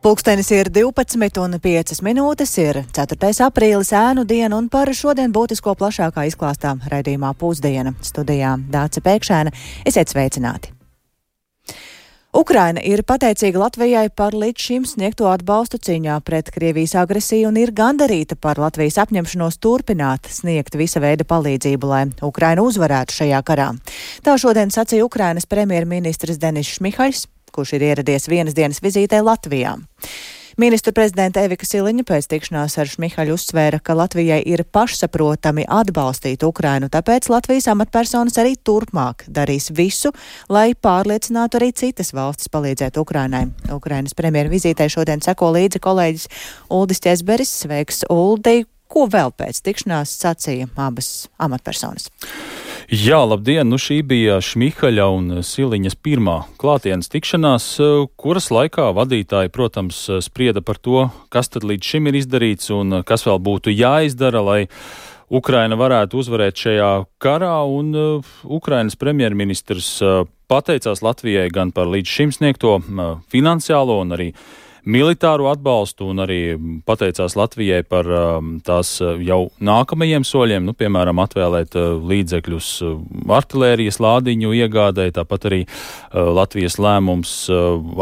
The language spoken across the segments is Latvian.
Pulkstenis ir 12:05, ir 4. aprīlis, ēnu diena, un par šodien būtisko plašākā izklāstā raidījumā Pusdiena. Studijā Dāce Pēkšēna. Esiet sveicināti! Ukraina ir pateicīga Latvijai par līdz šim sniegto atbalstu cīņā pret Krievijas agresiju un ir gandarīta par Latvijas apņemšanos turpināt sniegt visa veida palīdzību, lai Ukraina uzvarētu šajā karā. Tā šodien sacīja Ukrainas premjerministrs Denis Šmihaļs, kurš ir ieradies vienas dienas vizītē Latvijā. Ministru prezidenta Evika Siliņa pēc tikšanās ar Šmihaļu uzsvēra, ka Latvijai ir pašsaprotami atbalstīt Ukrainu, tāpēc Latvijas amatpersonas arī turpmāk darīs visu, lai pārliecinātu arī citas valstis palīdzēt Ukrainai. Ukrainas premjera vizītē šodien seko līdzi kolēģis Uldis Ķezberis. Sveiks, Uldi! Ko vēl pēc tikšanās sacīja abas amatpersonas? Jā, labdien! Šī bija Šmihaļa un Siliņas pirmā klātienes tikšanās, kuras laikā vadītāji, protams, sprieda par to, kas tad līdz šim ir izdarīts un kas vēl būtu jāizdara, lai Ukraina varētu uzvarēt šajā karā, un Ukrainas premjerministrs pateicās Latvijai gan par līdz šim sniegto finansiālo un arī militāro atbalstu, un arī pateicās Latvijai par tās jau nākamajiem soļiem, piemēram, atvēlēt līdzekļus artilērijas lādiņu iegādai, tāpat arī Latvijas lēmums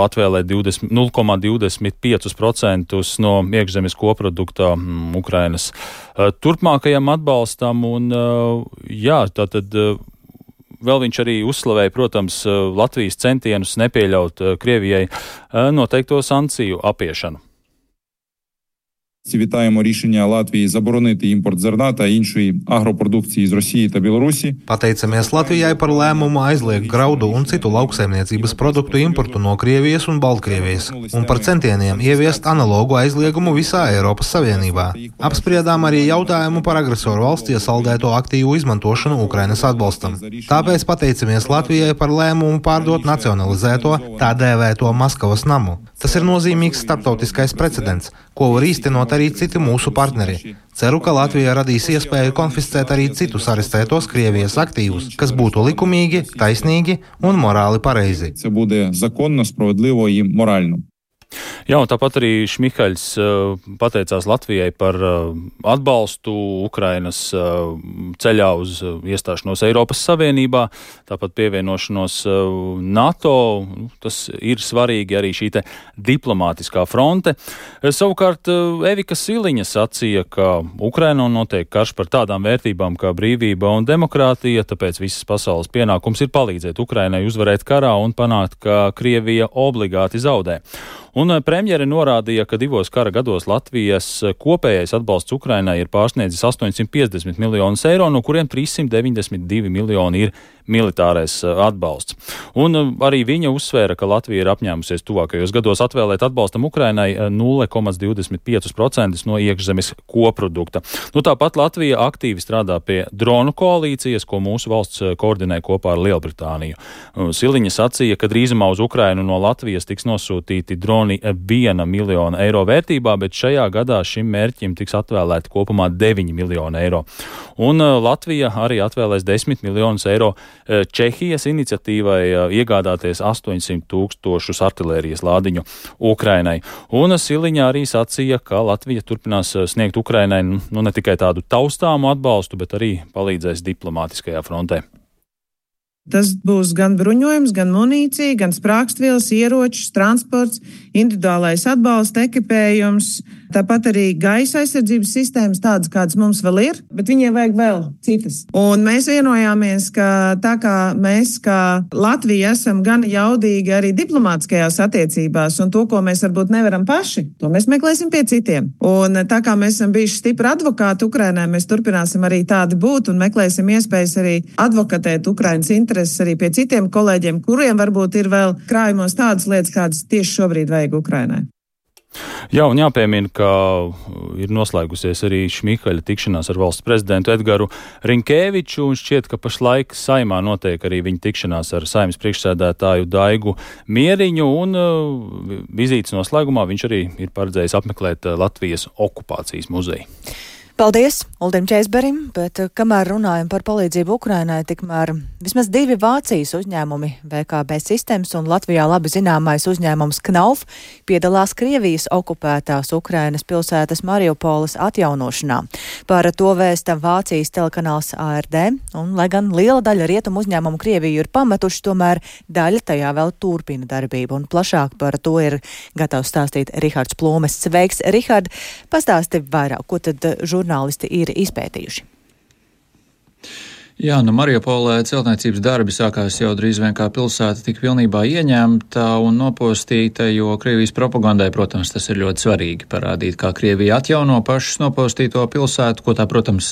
atvēlēt 0,25% no iekšzemes koprodukta Ukrainas turpmākajam atbalstam, un jā, tātad vēl viņš arī uzslavēja, protams, Latvijas centienus nepieļaut Krievijai noteikto sankciju apiešanu. Вітаємо рішення Латвії заборонити імпорт зерна та іншої агропродукції з Росії та Білорусі. Pateicamies Latvijai par lēmumu aizliegt graudu un citu lauksaimniecības produktu importu no Krievijas un Baltkrievijas un par centieniem ieviest analogu aizliegumu visā Eiropas Savienībā. Apspriedām arī jautājumu par agresoru valsts iesaldēto aktīvu izmantošanu Ukrainas atbalstam. Tāpēc pateicamies Latvijai par lēmumu pārdot nacionalizēto, tā dēvēto Maskavas namu. Tas ir nozīmīgs starptautiskais precedents, ko var īstenot arī citi mūsu partneri. Ceru, ka Latvija radīs iespēju konfiscēt arī citus arestētos Krievijas aktīvus, kas būtu likumīgi, taisnīgi un morāli pareizi. Це буде законно, справедливо і морально. Jā, un tāpat arī Šmihaļs pateicās Latvijai par atbalstu Ukrainas ceļā uz iestāšanos Eiropas Savienībā, tāpat pievienošanos NATO. Tas ir svarīgi arī šī te diplomātiskā fronte. Savukārt Evika Siliņa sacīja, ka Ukrainā notiek karš par tādām vērtībām kā brīvība un demokrātija, tāpēc visas pasaules pienākums ir palīdzēt Ukrainai uzvarēt karā un panākt, ka Krievija obligāti zaudē. Un premjere norādīja, ka 2 kara gados Latvijas kopējais atbalsts Ukrainai ir pārsniedzis 850 miljonus eiro, no kuriem 392 miljoni ir militārais atbalsts. Un arī viņa uzsvēra, ka Latvija ir apņēmusies tuvākajos gados atvēlēt atbalstam Ukrainai 0,25% no iekšzemes koprodukta. Tāpat Latvija aktīvi strādā pie dronu koalīcijas, ko mūsu valsts koordinē kopā ar Lielbritāniju. Siliņa sacīja, ka drīzumā uz Ukrainu no Latvijas tiks nosūtīti droni 1 miljona eiro vērtībā, bet šajā gadā šim mērķim tiks atvēlēti kopumā 9 miljoni eiro. Un Latvija arī atvēlēs 10 miljonus eiro Čehijas iniciatīvai iegādāties 800 000 artilērijas lādiņu Ukrainai. Un Siliņa arī sacīja, ka Latvija turpinās sniegt Ukrainai ne tikai tādu taustāmu atbalstu, bet arī palīdzēs diplomātiskajā frontē. Tas būs gan bruņojums, gan munīcija, gan sprāgstvielas, ieročus, transports, individuālais atbalsta ekipējums, tāpat arī gaisa aizsardzības sistēmas, tādas, kādas mums vēl ir, bet viņiem vajag vēl citas. Un mēs vienojāmies, ka tā kā mēs, kā Latvija, esam gan jaudīgi arī diplomātiskajās attiecībās, un to, ko mēs varbūt nevaram paši, to mēs meklēsim pie citiem. Un tā kā mēs esam bijuši stipri advokāti Ukrainai, mēs turpināsim arī tādi būt un meklēsim iespējas arī advokatēt Ukrainas intereses arī pie citiem kolēģiem, kuriem varbūt ir vēl krājumos tādas lietas, kādas tieši šobrīd vajag Ukrainai. Jā, un jāpiemina, ka ir noslēgusies arī Šmihaļa tikšanās ar valsts prezidentu Edgaru Rinkēviču, un šķiet, ka pašlaik Saimā notiek arī viņa tikšanās ar Saeimas priekšsēdētāju Daigu Mieriņu, un vizītes noslēgumā viņš arī ir paredzējis apmeklēt Latvijas okupācijas muzeju. Paldies Uldim Čeizberim, bet kamēr runājam par palīdzību Ukrainai, tikmēr vismaz 2 Vācijas uzņēmumi, VKB Systems un Latvijā labi zināmais uzņēmums Knauf, piedalās Krievijas okupētās Ukrainas pilsētas Mariupoles atjaunošanā. Par to vēsta Vācijas telekanāls ARD, un lai gan liela daļa rietumu uzņēmumu Krieviju ir pametuši, tomēr daļa tajā vēl turpina darbību, un plašāk par to ir gatavs stāstīt Rihards Plūmes. Sveiks, Rihard, pastāsti vairāk, ko tad žurnālisti ir izpētījuši? Jā, Mariupolē celtniecības darbi sākās jau drīz vien kā pilsēta tika pilnībā ieņemta un nopostīta, jo Krievijas propagandai, protams, tas ir ļoti svarīgi parādīt, kā Krievija atjauno pašas nopostīto pilsētu, ko tā, protams,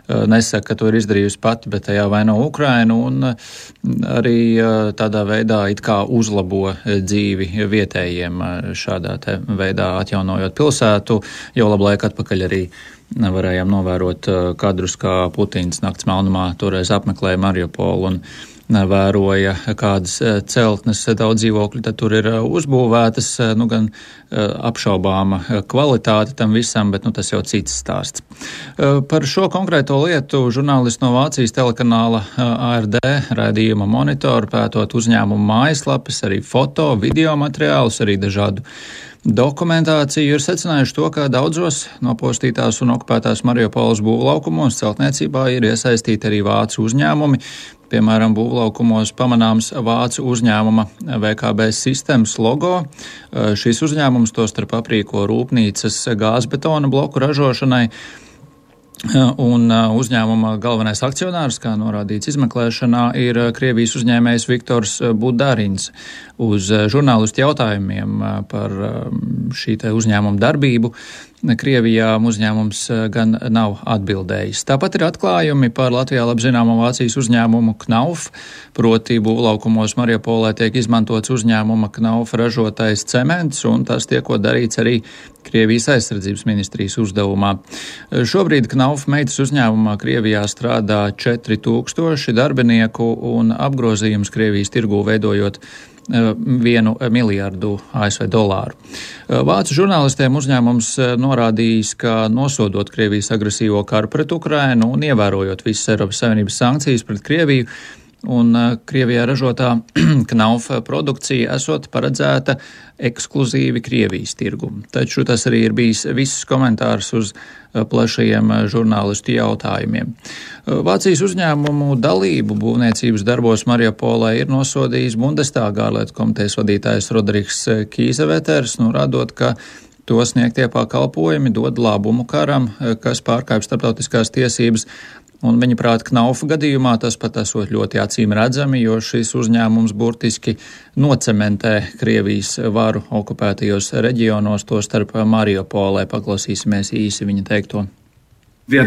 nesaka, ka to ir izdarījusi pati, bet tajā vaino Ukrainu un arī tādā veidā it kā uzlabo dzīvi vietējiem šādā te veidā atjaunojot pilsētu, jau labu laiku atpakaļ arī varējām novērot kadrus, kā Putins nakts melnumā toreiz apmeklēja Mariupolu un vēroja, kādas celtnes daudz dzīvokļu tad tur ir uzbūvētas, gan apšaubāma kvalitāte tam visam, bet tas jau cits stāsts. Par šo konkrēto lietu žurnālisti no Vācijas telekanāla ARD raidījuma Monitoru, pētot uzņēmumu mājaslapas, arī foto, video materiālus, arī dažādu dokumentāciju, ir secinājuši to, ka daudzos nopostītās un okupētās Mariupoles būvlaukumos celtniecībā ir iesaistīti arī vācu uzņēmumi. Piemēram, būvlaukumos pamanāms vācu uzņēmuma VKB Systems logo. Šis uzņēmums tostarp aprīko rūpnīcas gāzbetona bloku ražošanai. Un uzņēmuma galvenais akcionārs, kā norādīts izmeklēšanā, ir Krievijas uzņēmējs Viktors Budarins. Uz žurnālistu jautājumiem par šī te uzņēmuma darbību Krievijā uzņēmums gan nav atbildējis. Tāpat ir atklājumi par Latvijā labzināmo Vācijas uzņēmumu Knauf, proti būvlaukumos Mariupolē tiek izmantots uzņēmuma Knauf ražotais cements, un tas tiekot darīts arī Krievijas aizsardzības ministrijas uzdevumā. Šobrīd Knauf meitas uzņēmumā Krievijā strādā 4000 darbinieku un apgrozījums Krievijas tirgū veidojot 1 miljardu ASV dolāru. Vācu žurnālistiem uzņēmums norādījis, ka nosodot Krievijas agresīvo karu pret Ukrainu un ievērojot visas Eiropas Savienības sankcijas pret Krieviju, un Krievijā ražotā Knauf produkcija esot paredzēta ekskluzīvi Krievijas tirgumu. Taču tas arī ir bijis viss komentārs uz plašajiem žurnālistu jautājumiem. Vācijas uzņēmumu dalību būvniecības darbos Mariupolē ir nosodījis Bundestāga ārlietu komitejas vadītājs Rodrigs Kīzeveters, norādot, ka to sniegtie pakalpojumi dod labumu karam, kas pārkāpj starptautiskās tiesības. Un viņa prāt Knaufa gadījumā tas pat esot ļoti acīm redzami, jo šis uzņēmums burtiski nocementē Krievijas varu okupētajos reģionos, to starp Mariupolē. Paklausīsimies īsi viņa teikto. Ik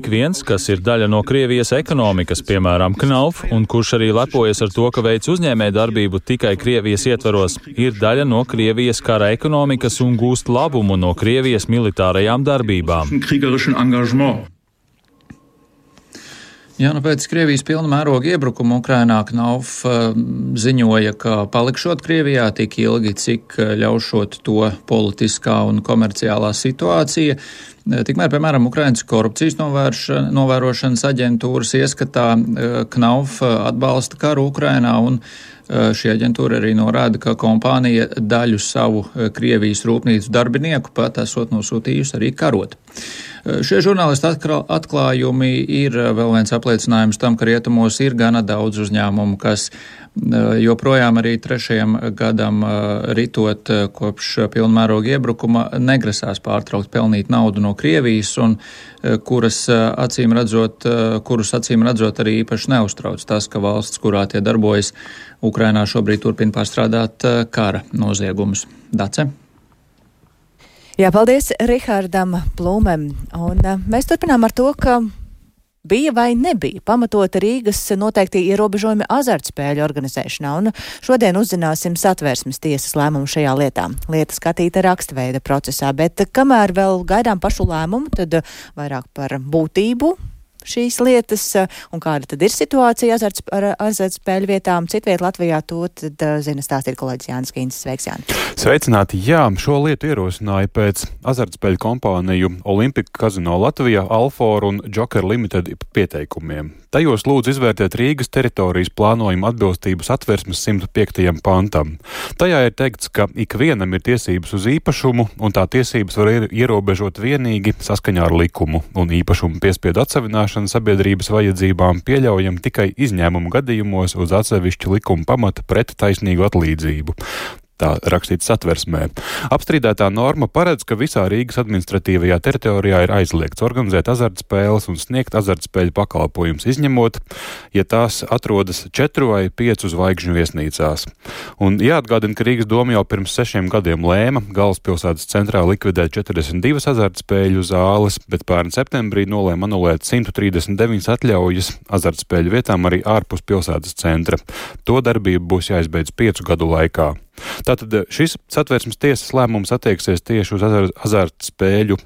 viens, kas ir daļa no Krievijas ekonomikas, piemēram, Knauf, un kurš arī lepojas ar to, ka veic uzņēmēju darbību tikai Krievijas ietvaros, ir daļa no Krievijas kara ekonomikas un gūst labumu no Krievijas militārajām darbībām. Jā, pēc Krievijas pilna mēroga iebrukuma Ukrainā Knauf ziņoja, ka palikšot Krievijā tik ilgi, cik ļaušot to politiskā un komerciālā situācija. Tikmēr, piemēram, Ukrainas korupcijas novērošanas aģentūras ieskatā Knauf atbalsta karu Ukrainā, un šī aģentūra arī norāda, ka kompānija daļu savu Krievijas rūpnīcu darbinieku pat esot nosūtījusi arī karot. Šie žurnālisti atklājumi ir vēl viens apliecinājums tam, ka rietumos ir gana daudz uzņēmumu, kas joprojām arī 3. gadam ritot kopš pilnmēroga iebrukuma negrasās pārtraukt pelnīt naudu no Krievijas un kurus acīm redzot arī īpaši neuztrauc tas, ka valsts, kurā tie darbojas, Ukrainā šobrīd turpina pārstrādāt kara noziegumus. Dace? Jā, paldies Rihardam Plūmem. Un mēs turpinām ar to, ka bija vai nebija pamatota Rīgas noteikti ierobežojumi azartspēļu organizēšanā, un šodien uzzināsim Satversmes tiesas lēmumu šajā lietā. Lieta skatīta rakstveida procesā, bet kamēr vēl gaidām pašu lēmumu, tad vairāk par būtību šīs lietas un kāda tad ir situācija ar azartspēļu vietām citviet Latvijā, to tad zina stāstīt kolēģis Jānis Kīncis. Sveiks, Jāni! Sveicināti! Jā, šo lietu ierosināja pēc azartspēļu kompāniju Olympika Casino Latvijā, Alfor un Joker Limited pieteikumiem. Tajos lūdz izvērtēt Rīgas teritorijas plānojuma atbilstību Satversmes 105. pantam. Tajā ir teikts, ka ikvienam ir tiesības uz īpašumu, un tā tiesības var ierobežot vienīgi saskaņā ar likumu, un īpašumu piespiedu atsavināšana sabiedrības vajadzībām pieļaujam tikai izņēmumu gadījumos uz atsevišķu likuma pamata pret taisnīgu atlīdzību. Tā rakstīts Satversmē. Apstrīdētā norma paredz, ka visā Rīgas administratīvajā teritorijā ir aizliegts organizēt azartspēles un sniegt azartspēļu pakalpojumus, izņemot, ja tās atrodas 4 vai 5 zvaigžņu viesnīcās. Un jāatgādina, ka Rīgas doma jau pirms 6 gadiem lēma galvaspilsētas centrā likvidēt 42 azartspēļu zāles, bet pērn septembrī nolēma anulēt 139 atļaujas azartspēļu vietām arī ārpus pilsētas centra. To darbību būs jāizbeidz 5 gadu laikā. Tātad šis Satversmes tiesas lēmums attieksies tieši uz azartspēļu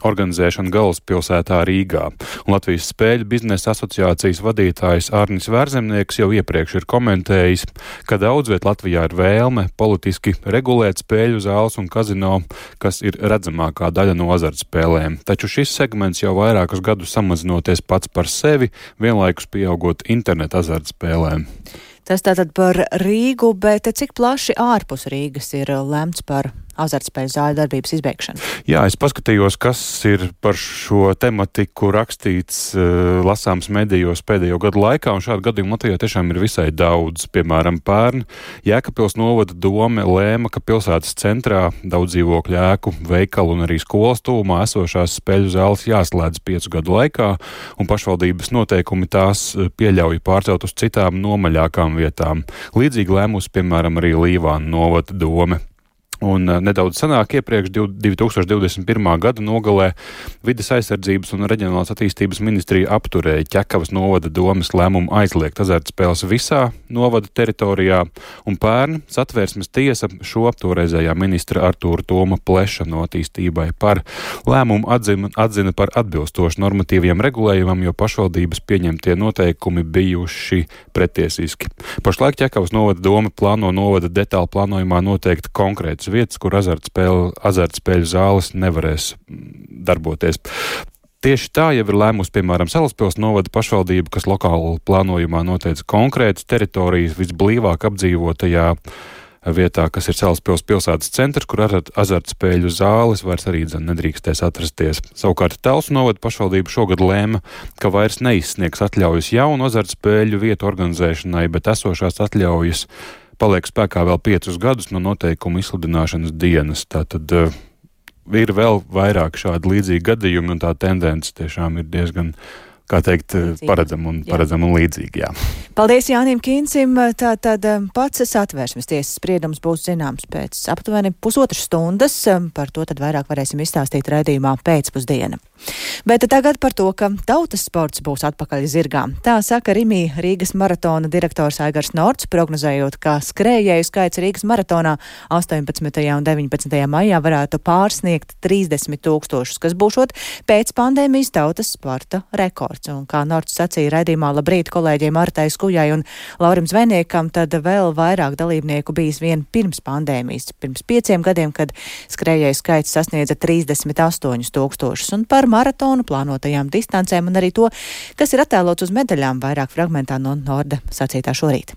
organizēšanu galvaspilsētā Rīgā. Un Latvijas spēļu biznesa asociācijas vadītājs Arnis Vērzemnieks jau iepriekš ir komentējis, ka daudz viet Latvijā ir vēlme politiski regulēt spēļu zāles un kazino, kas ir redzamākā daļa no azartspēlēm. Taču šis segments jau vairākus gadus samazinoties pats par sevi, vienlaikus pieaugot internetu azartspēlēm. Tas tātad par Rīgu, bet cik plaši ārpus Rīgas ir lemts par azartspēļu zāļu darbības izbeigšanu? Jā, es paskatījos, kas ir par šo tematiku rakstīts lasāms medijos pēdējo gadu laikā, un šādu gadījumu Latvijā tiešām ir visai daudz. Piemēram, pērn Jēkabpils novada dome lēma, ka pilsētas centrā daudz dzīvokļu ēku, veikalu un arī skolas tuvumā esošās spēļu zāles jāslēdz 5 gadu laikā, un pašvaldības noteikumi tās pieļauj pārcelt uz citām nomaļākām vietām. Līdzīgi lēmusi, piemēram, arī Līvāna novada dome. Un nedaudz senāk iepriekš 2021. gada nogalē Vides aizsardzības un reģionālās attīstības ministrija apturēja Ķekavas novada domes lēmumu aizliegt azartspēles visā novada teritorijā, un pērn Satversmes tiesa šo toreizējā ministra Artūra Toma Pleša no attīstībai par lēmumu atzina par atbilstošu normatīviem regulējumam, jo pašvaldības pieņemtie noteikumi bijuši pretiesiski. Pašlaik Ķekavas novada dome plāno novada detālu plānojumā noteikt konkrētas vietas, kur azartspēļu zāles nevarēs darboties. Tieši tā jau ir lēmusi, piemēram, Salaspils novada pašvaldība, kas lokāli plānojumā noteica konkrētas teritorijas visblīvāk apdzīvotajā vietā, kas ir Salaspils pilsētas centrs, kur azartspēļu zāles vairs arī nedrīkstēs atrasties. Savukārt Telsu novada pašvaldība šogad lēma, ka vairs neizsniegs atļaujas jaunu azartspēļu vietu organizēšanai, bet esošās atļaujas paliek spēkā vēl 5 gadus no noteikumu izsludināšanas dienas. Tātad ir vēl vairāk šādi līdzīgi gadījumi, un tā tendence tiešām ir diezgan, kā teikt, paredzama un līdzīga. Jā. Paldies Jānim Kīncim. Tātad pats Satversmes tiesas spriedums būs zināms pēc aptuveni 1,5 stundas. Par to tad vairāk varēsim izstāstīt raidījumā pēcpusdiena. Bet tagad par to, ka tautas sports būs atpakaļ zirgām. Tā saka Rimī Rīgas maratona direktors Aigars Norts, prognozējot, ka skrējēju skaits Rīgas maratonā 18. un 19. maijā varētu pārsniegt 30 000, kas būšot pēc pandēmijas tautas sporta rekords. Un kā Norts sacīja raidījumā Labrīt kolēģiem Martai Skujai un Laurim Zvejniekam, tad vēl vairāk dalībnieku bijis vien pirms pandēmijas, pirms 5 gadiem, kad skrējēju skaits sasniedza 38 000. Un par maratonu plānotajām distancēm un arī to, kas ir attēlots uz medaļām, vairāk fragmentā no Norda sacītā šorīt.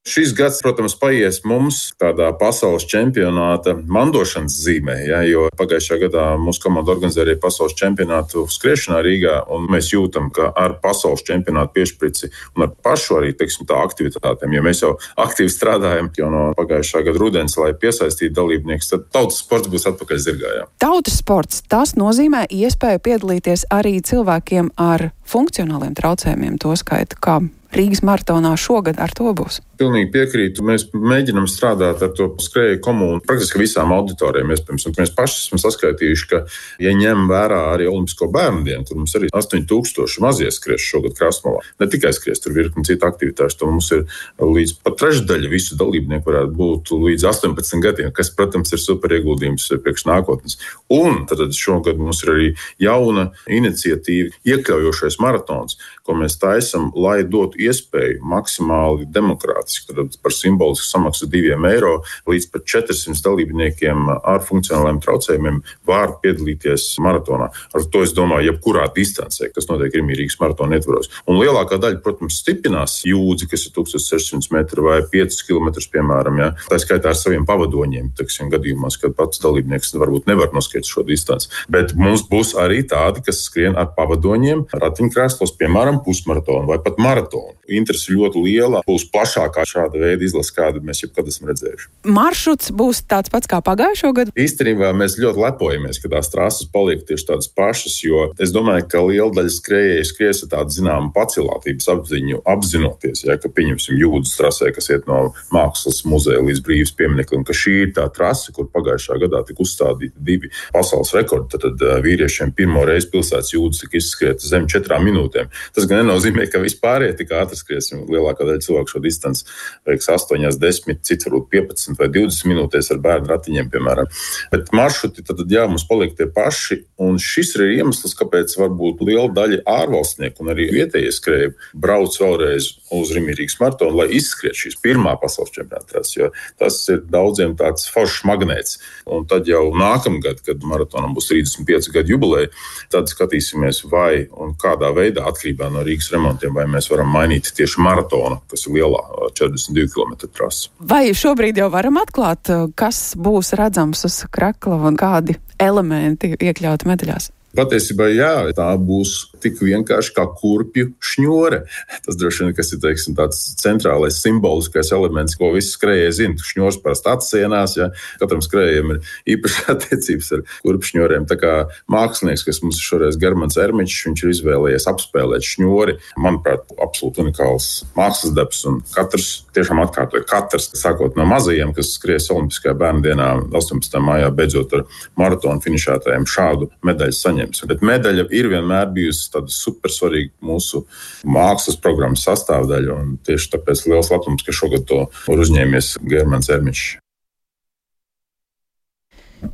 Šis gads, protams, paies mums tādā pasaules čempionāta mandošanas zīmē, ja, jo pagājušā gadā mūsu komanda organizēja arī pasaules čempionātu skriešanā Rīgā, un mēs jūtam, ka ar pasaules čempionātu piešprici un ar pašu arī, teiksim, tā aktivitātēm, jo mēs jau aktīvi strādājam jau no pagājušā gada rudens, lai piesaistītu dalībniekus, tad tautas sports būs atpakaļ zirgā. Jā. Tautas sports, tas nozīmē iespēju piedalīties arī cilvēkiem ar funkcionāliem traucējumiem, to skaitu kā Rīgas maratonā šogad ar to būs? Pilnīgi piekrītu. Mēs mēģinām strādāt ar to skrēju komunu praktiski visām auditorijām, iespējams. Un mēs paši esam saskaitījuši, ka, ja ņem vērā arī Olimpisko bērnu dienu, tur mums arī 8000 mazie skries šogad Krasnovā. Ne tikai skries, tur virkni citu aktivitāšu. Tur mums ir līdz pat trešdaļa visu dalībnieku varētu būt līdz 18 gadiem, kas, protams, ir super ieguldījums priekš nākotnes. Un tad šogad mums ir arī jauna iniciatīva, iekļaujošais maratons, ko mēs taisam, lai dotu iespēju maksimāli demokrātiski, tad par simbolisku samaksu €2 līdz pat 400 dalībniekiem ar funkcionāliem traucējumiem var piedalīties maratonā. Ar to es domāju, jebkurā distancē, kas notiek Rīgas maratona ietvaros. Un lielākā daļa, protams, stiprinās jūdzi, kas ir 1600 metri vai 5 km, piemēram, ja? Tā skaitā ar saviem pavadoņiem, teiksim, gadījumos, kad pats dalībnieks varbūt nevar noskriet šo distanci. Bet mums būs arī tādi, kas skrien ar pavadoņiem, ratiņkrēslos, piemēram, pusmaratonu vai pat maratonu. Interese ļoti liela, būs plašākā šāda veida izlase, kādu mēs jebkad esam redzējuši. Maršruts būs tāds pats kā pagājušo gadu? Īstenībā mēs ļoti lepojamies, ka tās trases paliek tieši tādas pašas, jo es domāju, ka liela daļa skrējēju skries ar tādu zināmu pacilātības apziņu, apzinoties, ja, ka pieņemsim Jūdzes trasē, kas iet no Mākslas muzeja līdz Brīvības piemineklim, ka šī ir tā trase, kur pagājušā gadā tika uzstādīti 2 pasaules rekordi. Tad vīriešiem pirmo reizi pilsētas Jūdzes tika izskrieta zem 4 minūtēm. Tas gan nenozīmē, ka vispār tik ātri skriesim. Lielākā daļa cilvēku šo distanci veiks 8, 10, cits varbūt 15 vai 20 minūtēs ar bērnu ratiņiem, piemēram. Bet maršruti tad, jā, mums paliek tie paši, un šis ir iemesls, kāpēc varbūt liela daļa ārvalstnieku un arī vietējie skrēji brauc vēlreiz uz Rīgas maratonu, lai izskriet šīs pirmā pasaules čempionāta, jo tas ir daudziem tāds foršs magnēts. Un tad jau nākamgad, kad maratonam būs 35 gadu jubileja, tad skatīsimies, vai un kādā veidā atkarībā no Rīgas remontiem, vai mēs varam mainīt tieši maratonu, kas ir lielā 42 km trasa. Vai šobrīd jau varam atklāt, kas būs redzams uz krakla un kādi elementi iekļauti medaļās? Patiesībā, jā, tā būs tik vienkārši kā kurpju šņore. Tas droši vien, kas ir, teiksim, tāds centrālais simboliskais elements, ko visi skrējēji zina. Šņors parasti atsienās, ja katram skrējējiem ir īpaši attiecības ar kurpju šņoriem. Tā kā mākslinieks, kas mums ir šoreiz Germans Ermičs, viņš ir izvēlējies apspēlēt šņori. Manuprāt, absolūti unikāls mākslas darbs, un katrs tiešām atkārtoja. Katrs, sākot no mazajiem, kas skries Olimpiskajā bērnu dienā 18. maijā, beidzot ar maratonu finišētājiem šādu medaļu saņems. Bet medaļa ir vienmēr bijusi tāda supersvarīga mūsu mākslas programmas sastāvdaļa, un tieši tāpēc liels lepnums, ka šogad to var uzņēmies Germans Ermičs.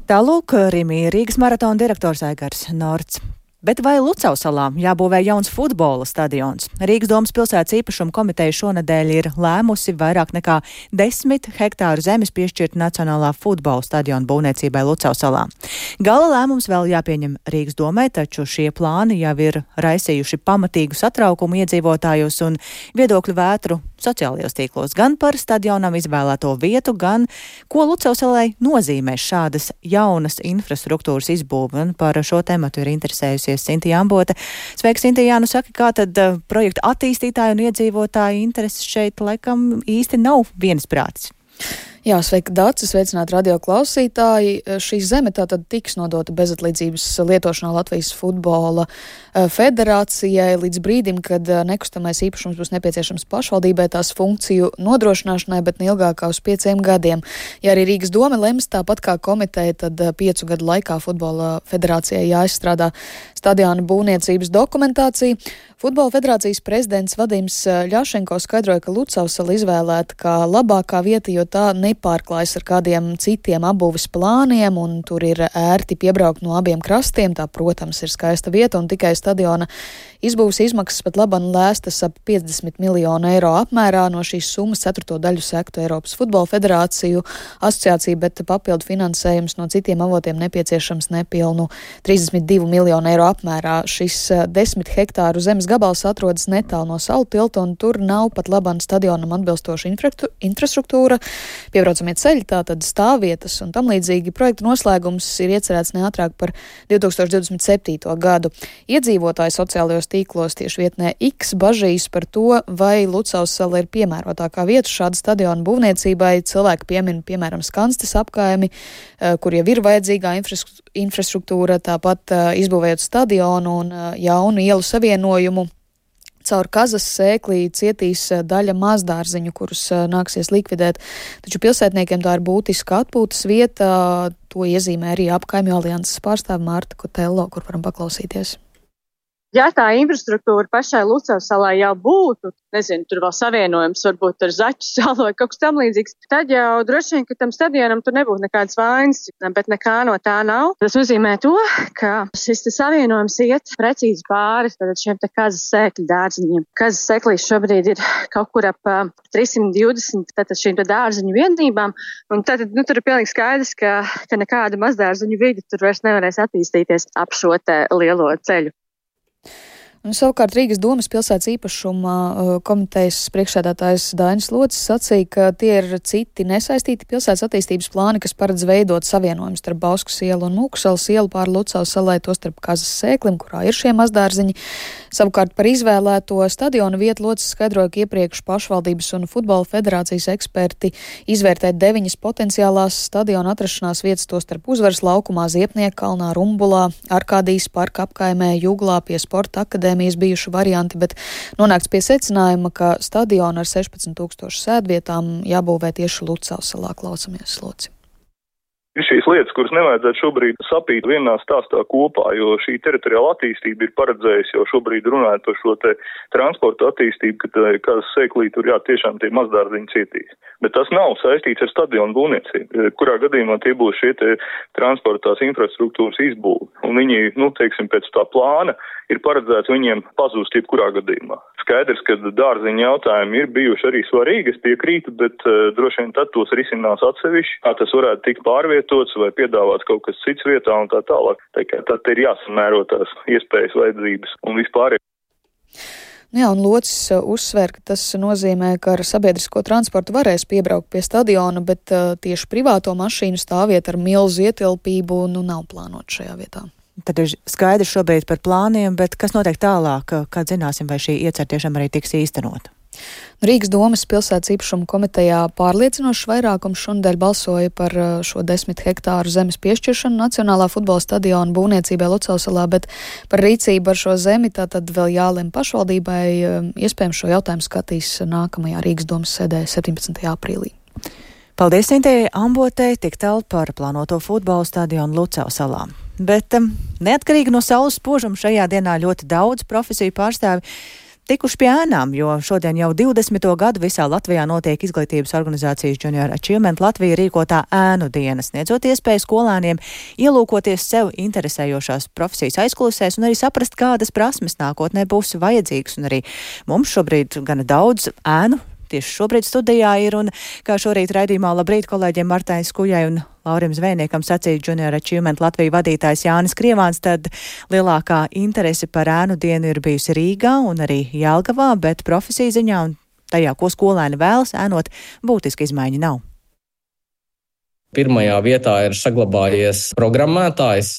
Tālūk, Rīgas maratona direktors Aigars Norts. Bet vai Lucavsalā jābūvē jauns futbola stadions? Rīgas domas pilsētas īpašuma komiteja šonedēļ ir lēmusi vairāk nekā 10 hektāru zemes piešķirt Nacionālā futbola stadiona būvniecībai Lucavsalā. Gala lēmums vēl jāpieņem Rīgas domai, taču šie plāni jau ir raisījuši pamatīgu satraukumu iedzīvotājos un viedokļu vētru sociālajos tīklos gan par stadionam izvēlēto vietu, gan ko Lucavsalai nozīmē šādas jaunas infrastruktūras izbūve. Un par šo tematu ir interesējusies Sintija Ambota. Sveika, Sintija, nu saka, kā tad projekta attīstītāji un iedzīvotāji intereses šeit laikam īsti nav viensprātis? Jā, sveika, Dācis, sveicināt radio klausītāji. Šī zeme tātad tiks nodota bezatlīdzības lietošanā Latvijas futbola federācijai līdz brīdim, kad nekustamais īpašums būs nepieciešams pašvaldībai tās funkciju nodrošināšanai, bet neilgāk kā uz 5 gadiem. Ja arī Rīgas doma lems tāpat kā komiteja, tad 5 gadu laikā futbola federācijai jāizstrādā stadiona būvniecības dokumentācija. Futbola federācijas prezidents Vadims Ļašenko skaidroja, ka Lucavsala izvēlēta kā labākā vieta, jo tā nepārklājas ar kādiem citiem apbūves plāniem, un tur ir ērti piebraukt no abiem krastiem. Tā, protams, ir skaista vieta, un tikai stadiona izbūves izmaksas pat labam lēstas ap 50 miljonu eiro apmērā. No šīs summas 4. daļu sektu Eiropas futbola federāciju asociācija, bet papildu finansējums no citiem avotiem nepieciešams nepilnu 32 miljonu eiro apmērā. Šis 10 hektāru zemes gabals atrodas netālu no Salu tilta, un tur nav pat labam stadionam atbilstoša infrastruktūra, piebraucamie ceļi, tātad stāvvietas un tam līdzīgi. Projekta noslēgums ir iecerēts neātrāk par 2027. gadu. Iedzīvotāji sociālajos tīklos tieši vietnē X bažīs par to, vai Lucavsala ir piemērotākā vieta šāda stadiona būvniecībai. Cilvēki piemin, piemēram, Skanstes apkaimi, kur jau ir vajadzīgā infrastruktūra, tāpat izbūvējot stadionu un jaunu ielu savienojumu. Caur kazas sēklī cietīs daļa mazdārziņu, kurus nāksies likvidēt, taču pilsētniekiem tā ir būtiska atpūtas vieta. To iezīmē arī Apkaimju alianses pārstāve Marta Kotello, kur varam paklausīties. Ja tā infrastruktūra pašai Lucavas salai jau būtu, nezinu, tur vēl savienojums varbūt ar Zaķu salu vai kaut kas tam līdzīgs, tad jau droši vien, ka tam stadionam tur nebūtu nekādas vainas, bet nekā no tā nav. Tas nozīmē to, ka šis savienojums iet precīzi pāri šiem te kazas sēkļu dārziņiem. Kazas sēklīs šobrīd ir kaut kur ap 320 šīm te dārziņu vienībām, un tad tur ir pilnīgi skaidrs, ka nekāda mazdārziņu vidi tur vairs nevarēs attīstīties ap šo te lielo ceļu. Un savukārt Rīgas domas pilsētas īpašuma komitejas priekšsēdētājs Dainis Locis sacīja, ka tie ir citi nesaistīti pilsētas attīstības plāni, kas paredz veidot savienojumus starp Bauskas ielu un Mūksalas ielu pāri Lucavas salai, to starp Kazas sēklim, kurā ir šie mazdārziņi. Savukārt par izvēlēto stadionu vietu Locis skaidroja, ka iepriekš pašvaldības un futbola federācijas eksperti izvērtē 9 potenciālās stadiona atrašanās vietas, to starp Uzvaras laukumā, Ziepnieka kalnā, Rumbulā, Arkādijas parka apkaimē, Juglā, pie Sporta akadēmijas bijuši varianti, bet nonākts pie secinājuma, ka stadionu ar 16 000 sēdvietām jābūvē tieši Lucavas salā. Klausamies, Loci. Ir šīs lietas, kuras nevajadzētu šobrīd sapīt vienā stāstā kopā, jo šī teritoriāla attīstība ir paredzējusi jau šobrīd runājot par šo te transporta attīstību, ka Kazas sēklī tur tiešām tie mazdārziņi cietīs. Bet tas nav saistīts ar stadionu būvniecību, kurā gadījumā tie būs šie te transportās infrastruktūras izbūvi. Un viņi, teiksim, pēc tā plāna ir paredzēts viņiem pazūst jebkurā gadījumā. Skaidrs, ka dārziņu jautājumi ir bijuši arī svarīgi, es piekrītu, bet droši vien tad tos risinās atsevišķi, kā tas varētu tikt pārvietots vai piedāvāts kaut kas cits vietā un tā tālāk. Tad ir jāsamēro tās iespējas, vajadzības un vispār. Jā, un Locis uzsver, ka tas nozīmē, ka ar sabiedrisko transportu varēs piebraukt pie stadiona, bet tieši privāto mašīnu stāvvieta ar milzu ietilpību nav plānot šajā vietā. Tad ir skaidrs šobrīd par plāniem, bet kas notiek tālāk, kad zināsim, vai šī iecer tiešām arī tiks īstenot? Rīgas domas pilsētas īpašuma komitejā pārliecinošs vairākums šonadēļ balsoja par šo 10 hektāru zemes piešķiršanu Nacionālā futbola stadiona būvniecībai Lucavas salā, bet par rīcību ar šo zemi tātad vēl jālem pašvaldībai. Iespējams šo jautājumu skatīs nākamajā Rīgas domas sēdē 17. aprīlī. Paldies Intei Ambotei, tik tālu par plānoto futbola stadionu Lucavas salā. Bet neatkarīgi no saules spožuma šajā dienā ļoti daudz profesiju pārstāvi tikuši pie ēnām, jo šodien jau 20. gadu visā Latvijā notiek izglītības organizācijas Junior Achievement Latvija rīkotā ēnu diena, sniedzot iespēju skolēniem ielūkoties sev interesējošās profesijas aizkulisēs un arī saprast, kādas prasmes nākotnē būs vajadzīgas. Un arī mums šobrīd gana daudz ēnu tieši šobrīd studijā ir, un kā šorīt raidījumā labrīt kolēģiem Martai Skujai un Laurim Zvejniekam sacīja Junior Achievement Latvija vadītājs Jānis Krievāns, tad lielākā interese par ēnu dienu ir bijusi Rīgā un arī Jelgavā, bet profesiju ziņā un tajā, ko skolēni vēlas ēnot, būtiski izmaiņu nav. Pirmajā vietā ir saglabājies programmētājs,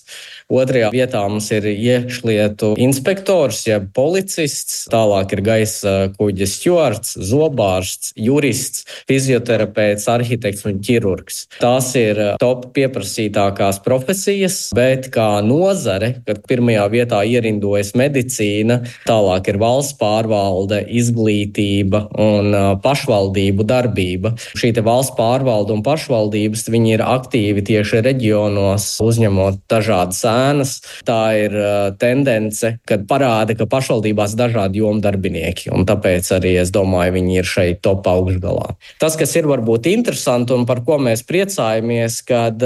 otrajā vietā mums ir iekšlietu inspektors, jeb policists, tālāk ir gaisa kuģa stjuards, zobārsts, jurists, fizioterapeits, arhitekts un ķirurgs. Tās ir top pieprasītākās profesijas, bet kā nozare, kad pirmajā vietā ierindojas medicīna, tālāk ir valsts pārvalde, izglītība un pašvaldību darbība. Šī te valsts pārvalde un pašvaldības, viņi ir aktīvi tieši reģionos, uzņemot dažādas ēnas. Tā ir tendence, kad parāda, ka pašvaldībās dažādi jomu darbinieki, un tāpēc arī, es domāju, viņi ir šeit top augšgalā. Tas, kas ir varbūt interesanti un par ko mēs priecājamies, kad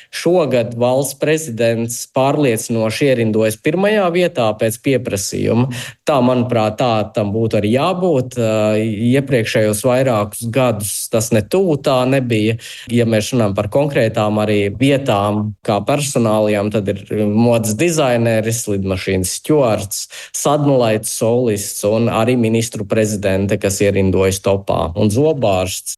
šogad valsts prezidents pārliecinoši ierindojas pirmajā vietā pēc pieprasījuma. Tā, manuprāt, tā tam būtu arī jābūt. Iepriekšējos vairākus gadus tas netuvu tā nebija. Ja mēs runājam par konkrētām arī vietām, kā personālijām, tad ir modes dizaineris, lidmašīnas stjuards, sadnulaits solists un arī ministru prezidente, kas ierindojas topā, un zobārsts.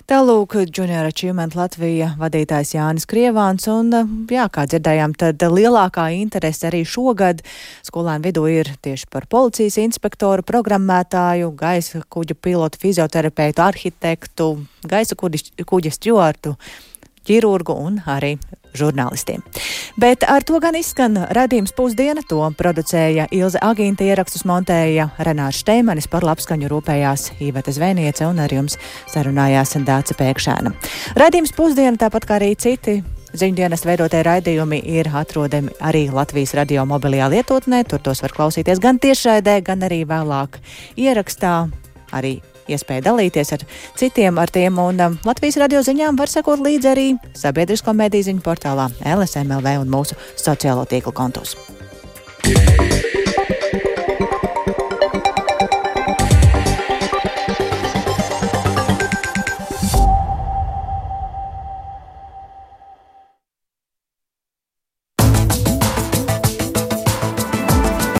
Tālūk, Junior Achievement Latvija vadītājs Jānis Krievāns, un, kā dzirdējām, tad lielākā interese arī šogad skolēnu vidū ir tieši par policijas inspektoru, programmētāju, gaisa kuģa pilotu, fizioterapeitu, arhitektu, gaisa kuģa stjuartu, ķirurgu un arī žurnālistiem. Bet ar to gan izskan raidījums Pusdiena. To producēja Ilze Agīnta, ierakstus montēja Renārs Šteimanis, par labskaņu rūpējās Iveta Zvēniece un ar jums sarunājās Dāce Pēkšēna. Raidījums Pusdiena, tāpat kā arī citi ziņdienas veidotie raidījumi, ir atrodami arī Latvijas radio mobilajā lietotnē. Tur tos var klausīties gan tiešraidē, gan arī vēlāk ierakstā. Arī iespēja dalīties ar citiem ar tiem, un Latvijas radio ziņām var sekot līdzi arī sabiedrisko mediju ziņu portālā LSM.lv un mūsu sociālo tīklu kontos.